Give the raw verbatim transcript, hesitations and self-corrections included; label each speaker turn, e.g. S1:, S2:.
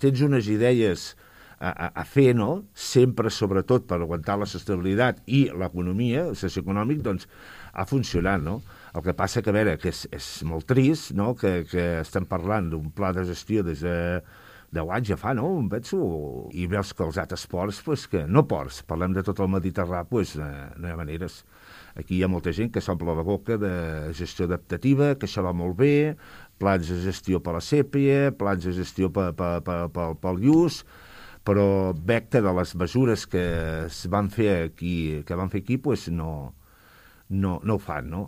S1: tens unes idees a, a, a fer, no? Sempre, sobretot, per aguantar la sostenibilitat i l'economia, el socioeconòmic, doncs ha funcionat, no? El que passa que, a veure, que és, és molt trist, no?, que, que estem parlant d'un pla de gestió des de deu anys ja fa, no?, em penso, i veus que els altres ports, pues, que no ports, parlem de tot el Mediterrani, pues, eh, no hi ha maneres. Aquí hi ha molta gent que s'omple la boca de gestió adaptativa, que això va molt bé, plans de gestió per la sèpia, plans de gestió per, per, per, per, pel lluç, però veig que de les mesures que es van fer aquí, que van fer aquí, pues, no, no, no ho fan, no?